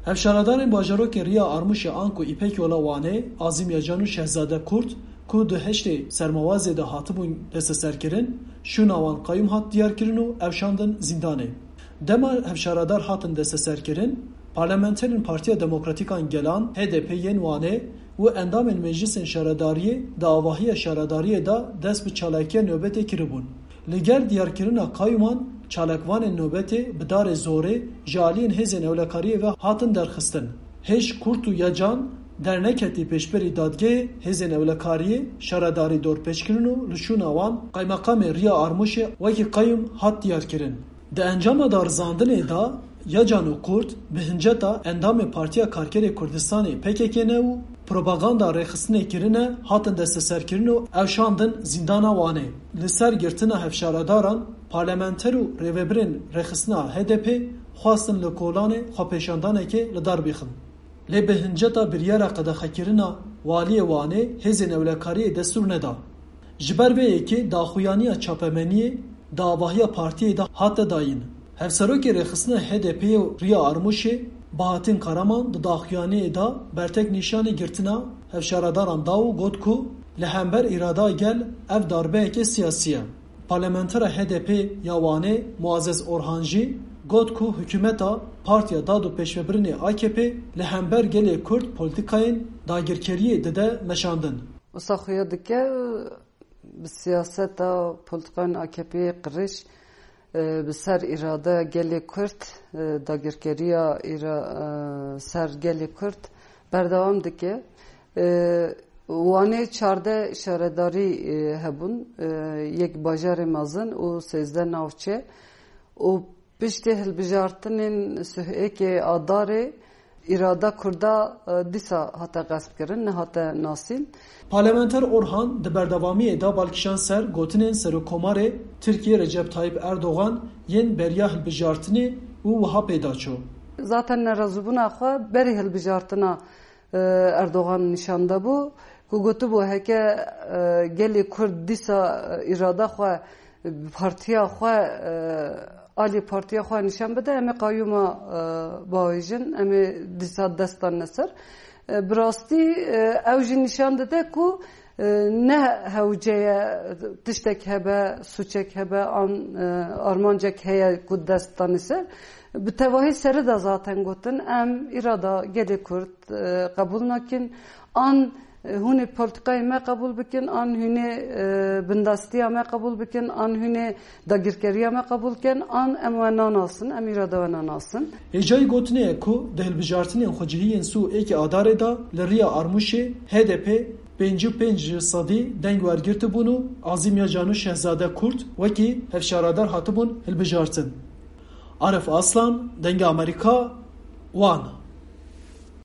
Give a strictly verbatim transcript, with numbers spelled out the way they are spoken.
Hevşaredarên bajarokê Riya Armûşê anku Îpek Yola Wanê, Azim Yacan û Şehzade Kurt, ku di heştê Sermawazê de hatibûn desteserkirin, şûna wan qayûm hat diyarkirin û ew şandin zîndanê. Dema hevşaredar hatin desteserkirin, parlamenterên Partiya Demokratîk a Gelan, H D P, yên Wanê û endamên Meclisên Şaredariyê di avahiya şaredariyê de dest bi çalakiya nobetê kiribûn. Li gel diyarkirina qayûman, çalakvanên nobetê bi darê zorê ji aliyên hêzên ewlekariyê ve hatin derxistin. Hêj Kurt û Yacan derneketî pêşberî dadgehê hêzên ewlekariyê, şaredarî dorpêç kirin û li şûna wan qaymeqamê Riya Armûşê wekî qayûm hat diyarkirin. Di encama darizandinê de Yacan û Kurt bi hinceta endamê Partiya Karkerê Kurdistanê, P K K, ne û propaganda rêxistinê kirine, hatin desteserkirin û ew şandin zîndana Wanê. Li ser girtina hevşaredaran, parlamenter û rêvebirên rêxistina H D P xwestin li kolanê xwepêşandanekê li dar bixin. Lê bi hinceta biryara qedexekirina waliyê Wanê hêzên ewlekariyê destûr neda. Ji ber vê yekê daxuyaniya çapemeniyê di avahiya partiyê de hate dayîn. Hevserokê rêxistina H D P'ê û Riya Armûşê Bahattin Karaman di daxuyaniyê de bertek nîşanî girtina hevşaredaran da û got ku li hember îrada gel ev darbeyeke siyasî ye. Parlamentera H D P ya Wanê Muazzez Orhan jî got ku hikûmeta Partiya Dad û Pêşvebirinê A K P li hember gelê Kurd polîtîkayên dagirkeriyê dide meşandin. Wisa xuya dike bi siyaseta polîtîkayên A K P'ê qirêj, e, bi ser îradeya gelê Kurd, e, dagirkeriya îra-, e, ser gelê Kurd berdewam dike. E, Wanê çardeh şaredarî, e, hebûn, e, yek bajarê mezin û sêzdeh navçe û piştî hilbijartinên sih êkê Adarê, îrada Kurda, e, dîsa hate qespkirin, nehate nasîn. Parlamenter Orhan di berdewamiyê de bal kişand ser gotinên Serokkomarê Tirkiyê Recep Tayyip Erdogan yên beriya hilbijartinê û wiha pê da çû. Zaten nerazîbûna xwe berî hilbijartina, e, Erdogan nîşan dabû ku gotibû, heke, e, gelê Kurd dîsa, e, îrada xwe, partiya xwe, e, alî partiya xwe nîşan bide, em ê qayûma, e, bavêjin, em ê dîsa dest dan ne ser. E, bi rastî, e, ew jî nîşan dide ku, e, ne hewce ye tiştek hebe, sûçek hebe, an, e, armancek heye ku dest danî ser. Bi tevahî serî de zaten gotin, em îrada gelê Kurd, e, qebûl nakin, an, e, hûn ê polîtîkayê me qebûl bikin, an hûn ê, e, bindestiya me qebûl bikin, an hûn ê dagirkeriya me qebûl kin, an em we nanasin, em îrada we nanasin. Hêjayî gotinê ye ku di hilbijartinên xwecihî yên sî û êkê Adarê de li Riya Armûşê H D P pêncî û pênc sedî deng wergirtibûn û Azîm Yacan û Şehzade Kurt wekî hevşaredar hatibûn hilbijartin. Arif Aslan, Dengê Amerîka, Wan.